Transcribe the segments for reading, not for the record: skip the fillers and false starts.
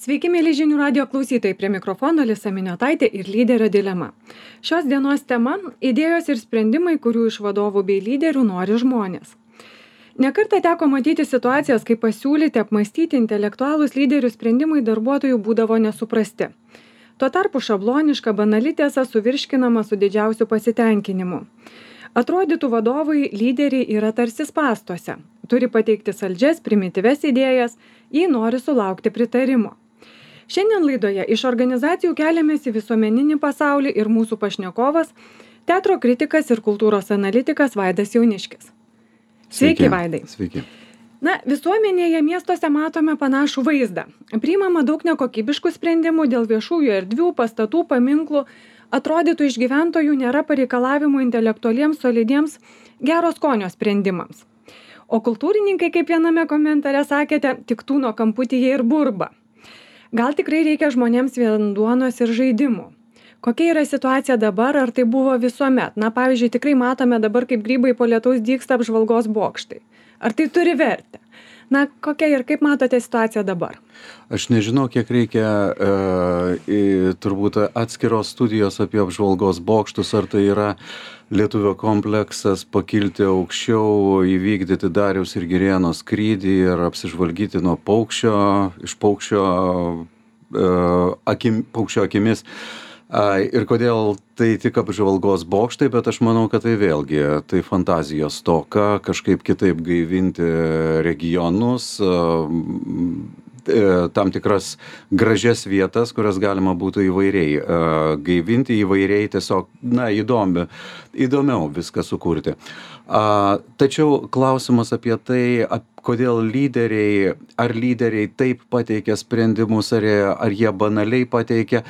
Sveiki, mėly žinių radio klausytojai, prie mikrofono Lisa Miniotaitė ir lyderio dilema. Šios dienos tema – idėjos ir sprendimai, kurių iš vadovų bei lyderių nori žmonės. Nekartą teko matyti situacijas, kai pasiūlyti, apmąstyti intelektualūs lyderių sprendimai darbuotojų būdavo nesuprasti. Tuo tarpu šabloniška banali tiesa suvirškinama su didžiausiu pasitenkinimu. Atrodytų vadovai lyderiai yra tarsi spąstuose. Turi pateikti saldžias, primityves idėjas, jei nori sulaukti pritarimo. Šiandien laidoje iš organizacijų keliamės į visuomeninį pasaulį ir mūsų pašnekovas – teatro kritikas ir kultūros analitikas Vaidas Jauniškis. Sveiki, Vaidai. Sveiki. Visuomenėje miestuose matome panašų vaizdą. Priimama daug nekokybiškų sprendimų dėl viešųjų erdvių, pastatų, paminklų. Atrodytų iš gyventojų nėra pareikalavimų intelektualiems, solidiems, gero skonio sprendimams. O kultūrininkai, kaip viename komentare sakėte, tik tūno kamputyje ir burba. Gal tikrai reikia žmonėms vien duonos ir žaidimų? Kokia yra situacija dabar, ar tai buvo visuomet? Pavyzdžiui, tikrai matome dabar, kaip grybai po lietaus dygsta apžvalgos bokštai. Ar tai turi vertę? Kokia ir kaip matote situaciją dabar? Aš nežinau, kiek reikia turbūt atskiros studijos apie apžvalgos bokštus, ar tai yra lietuvio kompleksas pakilti aukščiau, įvykdyti Dariaus ir Girėno skrydį ir apsižvalgyti nuo paukščio akimis. Ir kodėl tai tik apžvalgos bokštai, bet aš manau, kad tai vėlgi tai fantazijos stoka, kažkaip kitaip gaivinti regionus, tam tikras gražias vietas, kurias galima būtų įvairiai gaivinti, įvairiai tiesiog, įdomiau viską sukurti. Tačiau klausimas apie tai, kodėl lyderiai taip pateikia sprendimus, ar jie banaliai pateikia,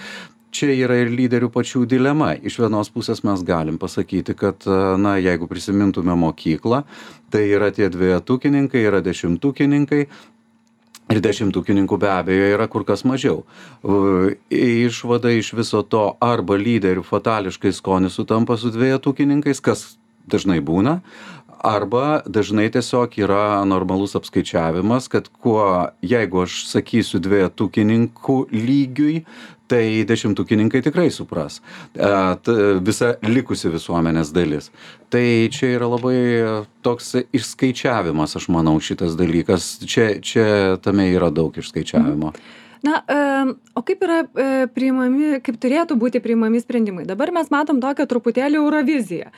čia yra ir lyderių pačių dilema. Iš vienos pusės mes galim pasakyti, kad, jeigu prisimintume mokyklą, tai yra tie dvejetukininkai, yra dešimtukininkai, ir dešimtukininkų be abejo yra kur kas mažiau. Išvada iš viso to arba lyderių fatališkai skonis sutampa su dvejetukininkais, kas dažnai būna, arba dažnai tiesiog yra normalus apskaičiavimas, kad jeigu aš sakysiu dvejetukininkų lygiui, tai dešimtukininkai tikrai supras. Visa likusi visuomenės dalis. Tai čia yra labai toks išskaičiavimas, aš manau, šitas dalykas. Čia tame yra daug išskaičiavimo. O kaip yra priimami, kaip turėtų būti priimami sprendimai? Dabar mes matom tokią truputėlį Euroviziją,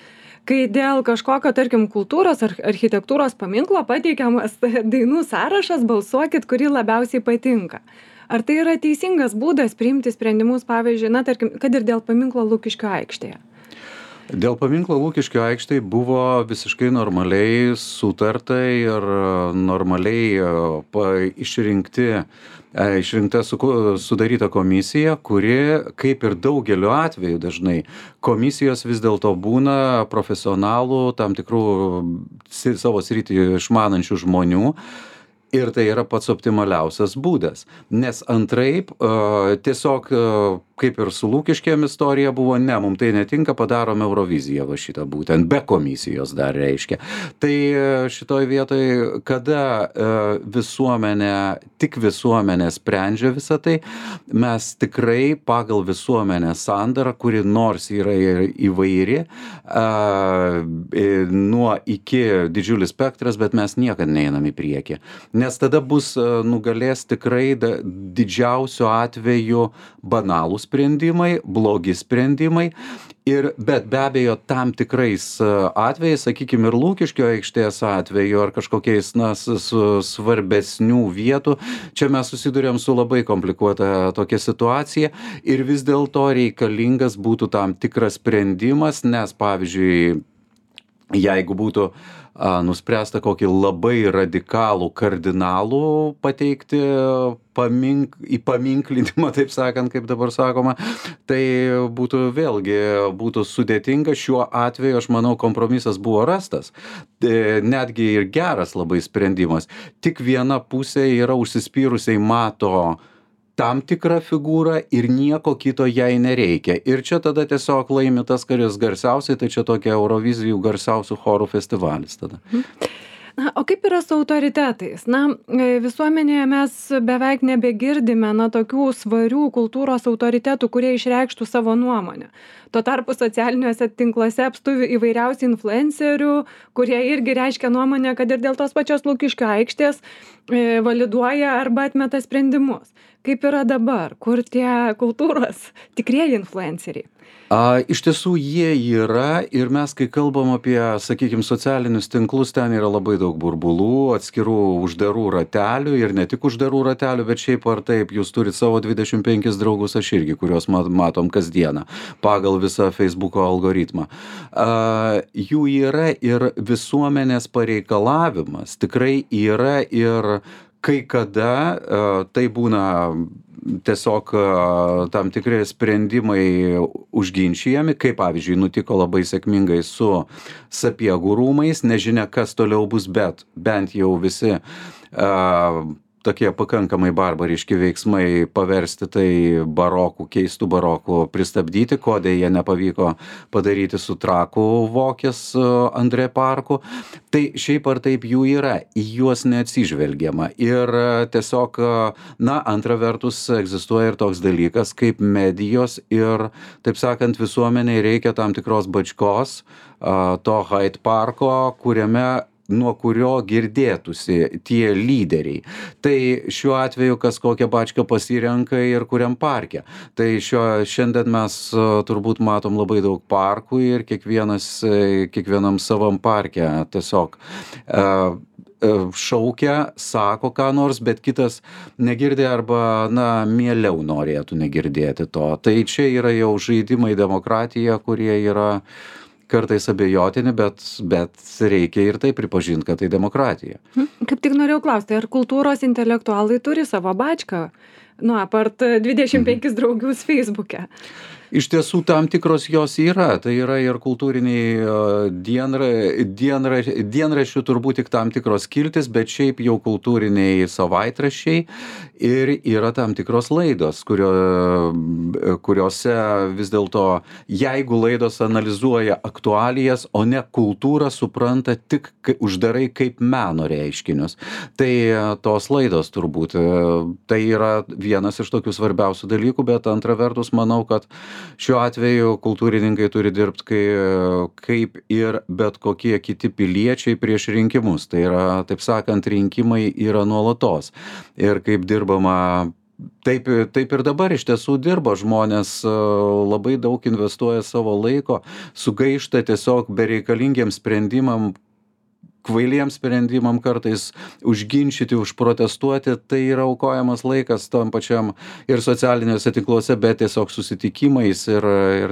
kai dėl kažkokio, tarkim, kultūros ar architektūros paminklo pateikiamas dainų sąrašas, balsuokit, kuri labiausiai patinka. Ar tai yra teisingas būdas priimti sprendimus, pavyzdžiui, tarkim, kad ir dėl paminklo Lukiškių aikštėje? Dėl paminklo Lukiškių aikštėje buvo visiškai normaliai sutarta ir normaliai išrinkta sudaryta komisija, kuri, kaip ir daugeliu atveju dažnai, komisijos vis dėlto būna profesionalų, tam tikrų savo sritį išmanančių žmonių. Ir tai yra pats optimaliausias būdas, nes antraip tiesiog, kaip ir su Lukiškėm istorija buvo, mums tai netinka, padarome Euroviziją va šitą būtent, be komisijos dar reiškia. Tai šitoj vietoj, kada tik visuomenė sprendžia visą tai, mes tikrai pagal visuomenės sandarą, kuri nors yra įvairi, nuo iki didžiulis spektras, bet mes niekad neinam į priekį. Nes tada nugalės tikrai didžiausiu atveju banalų sprendimai, blogi sprendimai, bet be abejo tam tikrais atvejais, sakykime, ir Lukiškio aikštės atveju, ar kažkokiais svarbesnių vietų, čia mes susidurėm su labai komplikuota tokia situacija ir vis dėlto reikalingas būtų tam tikras sprendimas, nes pavyzdžiui, jeigu būtų nuspręsta kokį labai radikalų kardinalų pateikti įpaminklinimą, taip sakant, kaip dabar sakoma, tai būtų sudėtinga. Šiuo atveju, aš manau, kompromisas buvo rastas. Netgi ir geras labai sprendimas. Tik viena pusė yra užsispyrusiai mato tam tikrą figūrą ir nieko kito jai nereikia. Ir čia tada tiesiog laimi tas, kuris garsiausiai, tai čia tokia Eurovizijų garsiausių chorų festivalis tada. Na, o kaip yra su autoritetais? Na, visuomenėje mes beveik nebegirdime, na, tokių svarių kultūros autoritetų, kurie išreikštų savo nuomonę. Tuo tarpu socialiniuose tinkluose apstu įvairiausių influencerių, kurie irgi reiškia nuomonę, kad ir dėl tos pačios Lukiškių aikštės validuoja arba atmeta sprendimus. Kaip yra dabar, kur tie kultūros tikrieji influenceriai? Iš tiesų jie yra ir mes, kai kalbam apie, sakykime, socialinius tinklus, ten yra labai daug burbulų, atskirų uždarų ratelių ir ne tik uždarų ratelių, bet šiaip ar taip, jūs turite savo 25 draugus, aš irgi, kuriuos matom kasdieną pagal visą Facebooko algoritmą. Jų yra ir visuomenės pareikalavimas tikrai yra ir kai kada tai būna tiesiog tam tikri sprendimai užginčijami, kaip pavyzdžiui nutiko labai sėkmingai su Sapiegų rūmais, nežinia kas toliau bus, bet bent jau visi tokie pakankamai barbariški veiksmai paversti tai barokų, keistų barokų pristabdyti, ko deja nepavyko padaryti su Trakų Vokės Andrė parku. Tai šiaip ar taip jų yra, į juos neatsižvelgiama. Ir tiesiog, na, antra vertus egzistuoja ir toks dalykas kaip medijos ir, taip sakant, visuomeniai reikia tam tikros bačkos, to Hyde parko, nuo kurio girdėtųsi tie lyderiai. Tai šiuo atveju kas kokią bačką pasirenka ir kuriam parke. Tai šiandien mes turbūt matom labai daug parkų ir kiekvienam savam parke tiesiog šaukia, sako ką nors, bet kitas negirdi arba, na, mieliau norėtų negirdėti to. Tai čia yra jau žaidimai demokratija, kurie yra kartais abejotini, bet reikia ir tai pripažinti, kad tai demokratija. Kaip tik norėjau klausti, ar kultūros intelektualai turi savo bačką? Nu, apart 25 draugius Facebook'e. Iš tiesų tam tikros jos yra, tai yra ir kultūriniai dienraščių turbūt tik tam tikros skiltis, bet šiaip jau kultūriniai savaitraščiai ir yra tam tikros laidos, kuriuose vis dėlto, jeigu laidos analizuoja aktualijas, o ne kultūrą, supranta tik uždarai kaip meno reiškinius. Tai tos laidos turbūt, tai yra vienas iš tokių svarbiausių dalykų, bet antra vertus manau, kad šiuo atveju kultūrininkai turi dirbti kaip ir bet kokie kiti piliečiai prieš rinkimus. Tai yra, taip sakant, rinkimai yra nuolatos. Ir kaip dirbama, taip ir dabar iš tiesų dirba žmonės, labai daug investuoja savo laiko, sugaišta tiesiog bereikalingiem sprendimam, kvailiem sprendimam kartais užginčyti, užprotestuoti, tai yra aukojamas laikas tam pačiam ir socialiniuose tinkluose, bet tiesiog susitikimais ir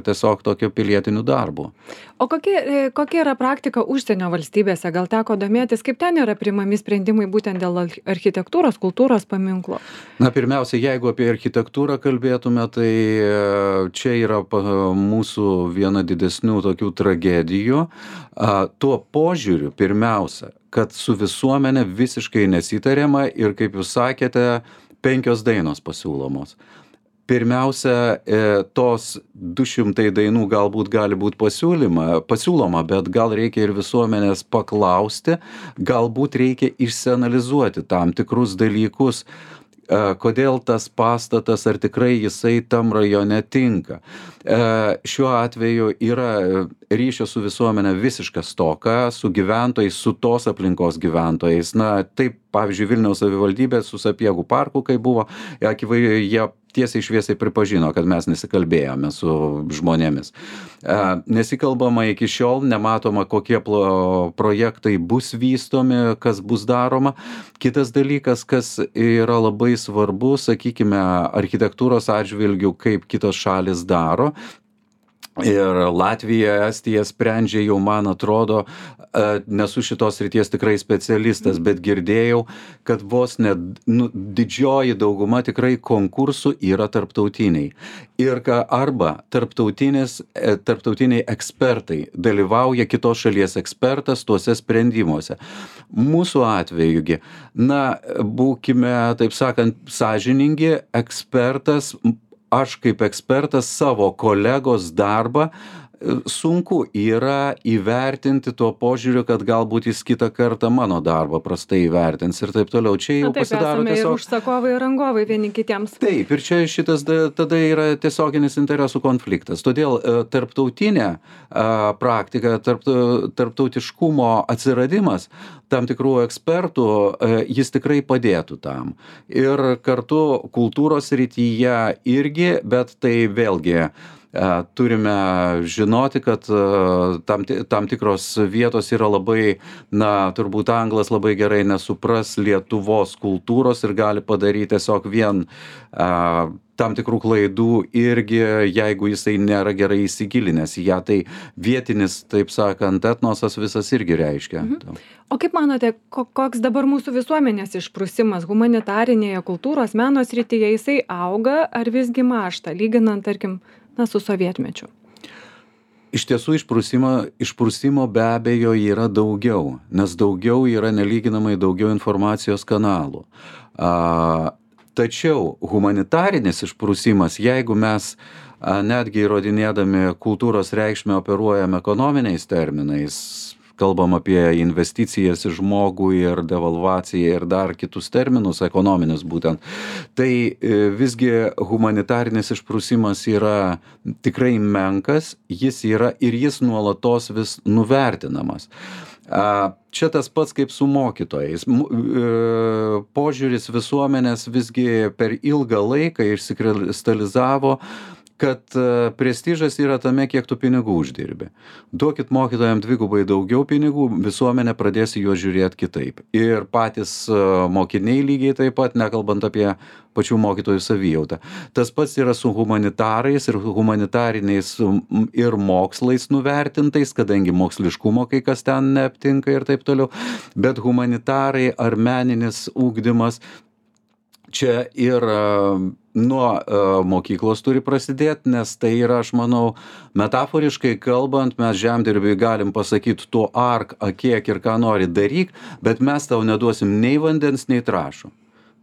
tiesiog tokio pilietiniu darbu. O kokia yra praktika užsienio valstybėse? Gal teko domėtis, kaip ten yra priimami sprendimai būtent dėl architektūros, kultūros paminklo? Na, pirmiausia, jeigu apie architektūrą kalbėtume, tai čia yra mūsų viena didesnių tokių tragedijų. Tuo požiūriu, pirmiausia, kad su visuomenė visiškai nesitariama ir, kaip jūs sakėte, 5 dainos pasiūlomos. Pirmiausia, tos 200 dainų galbūt gali būti pasiūloma, bet gal reikia ir visuomenės paklausti, galbūt reikia išsianalizuoti tam tikrus dalykus, kodėl tas pastatas, ar tikrai jisai tam rajone tinka. Šiuo atveju yra ryšio su visuomenė visiška stoka, su gyventojais, su tos aplinkos gyventojais. Na, taip, pavyzdžiui, Vilniaus savivaldybė su Sapiegų parku, kai buvo, jie tiesiai šviesiai pripažino, kad mes nesikalbėjome su žmonėmis. Nesikalbama iki šiol, nematoma, kokie projektai bus vystomi, kas bus daroma. Kitas dalykas, kas yra labai svarbu, sakykime, architektūros atžvilgių, kaip kitos šalis daro. Ir Latvija, Estija sprendžia jau, man atrodo, nesu šitos srities tikrai specialistas, bet girdėjau, kad vos ne didžioji dauguma tikrai konkursų yra tarptautiniai. Ir arba tarptautiniai ekspertai dalyvauja kitos šalies ekspertas tuose sprendimuose. Mūsų atvejugi, na, būkime, taip sakant, sąžiningi, ekspertas, aš kaip ekspertas savo kolegos darbą sunku yra įvertinti tuo požiūriu, kad galbūt jis kitą kartą mano darbą prastai įvertins ir taip toliau. Čia jau Taip, pasidaro esame ir tiesiog... užsakovai, ir rangovai vieni kitiems. Taip, ir čia šitas tada yra tiesioginis interesų konfliktas. Todėl tarptautinė praktika, tarptautiškumo atsiradimas tam tikrų ekspertų, jis tikrai padėtų tam. Ir kartu kultūros srityje irgi, bet tai vėlgi turime žinoti, kad tam tikros vietos yra labai, turbūt anglas labai gerai nesupras Lietuvos kultūros ir gali padaryti tiesiog vien tam tikrų klaidų irgi, jeigu jisai nėra gerai įsigilinęs į ją, tai vietinis, taip sakant, etnosas visas irgi reiškia. O kaip manote, koks dabar mūsų visuomenės išprusimas humanitarinėje kultūros meno srityje, jisai auga ar visgi mąžta, lyginant, tarkim, su sovietmečiu? Iš tiesų išprusimo be abejo yra daugiau, nes daugiau yra nelyginamai daugiau informacijos kanalų. Tačiau humanitarinis išprusimas, jeigu mes netgi įrodinėdami kultūros reikšmę operuojam ekonominiais terminais, kalbam apie investicijas į žmogų ir devalvaciją ir dar kitus terminus, ekonominius būtent, tai visgi humanitarinis išprusimas yra tikrai menkas, jis yra ir jis nuolatos vis nuvertinamas. Čia tas pats kaip su mokytojais. Požiūris visuomenės visgi per ilgą laiką išsikristalizavo, kad prestižas yra tame, kiek tu pinigų uždirbi. Duokit mokytojams dvigubai daugiau pinigų, visuomenė pradės į juos žiūrėti kitaip. Ir patys mokiniai lygiai taip pat, nekalbant apie pačių mokytojų savijautą. Tas pats yra su humanitarais ir humanitariniais ir mokslais nuvertintais, kadangi moksliškumo kai kas ten neaptinka ir taip toliau. Bet humanitarai ar meninis ugdymas čia ir nuo mokyklos turi prasidėti, nes tai yra, aš manau, metaforiškai kalbant, mes žemdirbiui galim pasakyti, tu ark, akiek ir ką nori daryk, bet mes tau neduosim nei vandens, nei trąšų.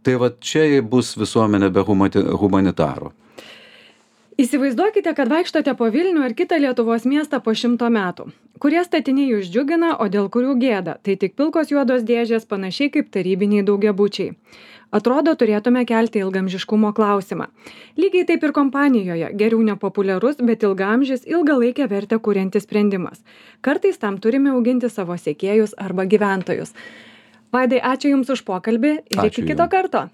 Tai va čia bus visuomenė be humanitarų. Įsivaizduokite, kad vaikštote po Vilnių ar kitą Lietuvos miestą po 100 metų. Kurie statiniai jūs džiugina, o dėl kurių gėda? Tai tik pilkos juodos dėžės, panašiai kaip tarybiniai daugiabučiai. Atrodo, turėtume kelti ilgamžiškumo klausimą. Lygiai taip ir kompanijoje. Geriau nepopuliarus, bet ilgaamžis, ilgalaikę vertę kuriantis sprendimas. Kartais tam turime auginti savo sekėjus arba gyventojus. Vaidai, ačiū Jums už pokalbį ir iki kito karto.